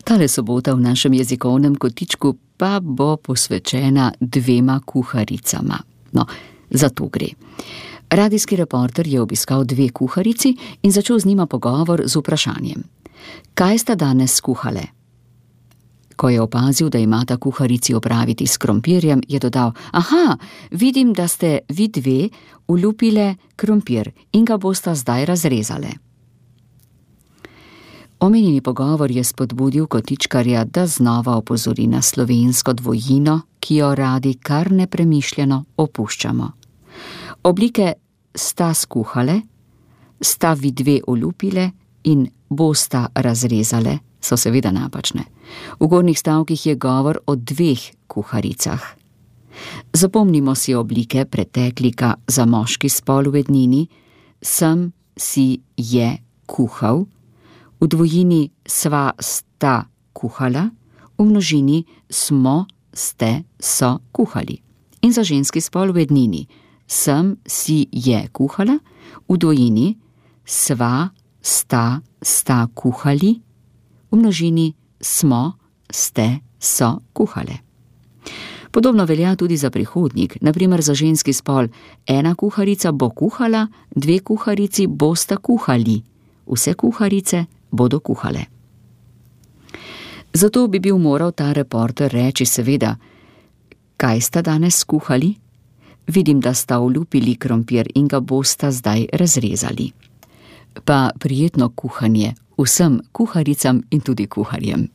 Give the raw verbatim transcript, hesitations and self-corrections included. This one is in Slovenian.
Tale sobota v našem jezikovnem kotičku pa bo posvečena dvema kuharicama. No, za to gre. Radijski reporter je obiskal dve kuharici in začel z njima pogovor z vprašanjem: kaj sta danes skuhale? Ko je opazil, da imata kuharici opraviti s krompirjem, je dodal: aha, vidim, da ste vi dve olupile krompir in ga bosta zdaj razrezale. Omenjeni pogovor je spodbudil kotičkarja, da znova opozori na slovensko dvojino, ki jo radi kar nepremišljeno opuščamo. Oblike sta skuhale, sta vi dve olupile in bosta razrezale so seveda napačne. V gornjih stavkih je govor o dveh kuharicah. Zapomnimo si oblike preteklika za moški spol v ednini: sem, si, je kuhal, v dvojini sva, sta kuhala, v množini smo, ste, so kuhali. In za ženski spol v ednini: sem, si, je kuhala, v dvojini sva, sta, sta kuhali, v množini smo, ste, so kuhale. Podobno velja tudi za prihodnik, na primer za ženski spol: ena kuharica bo kuhala, dve kuharici bosta kuhali, vse kuharice bodo kuhale. Zato bi bil moral ta reporter reči seveda: kaj sta danes skuhali? Vidim, da sta olupili krompir in ga bosta zdaj razrezali. Pa prijetno kuhanje vsem kuharicam in tudi kuharjem.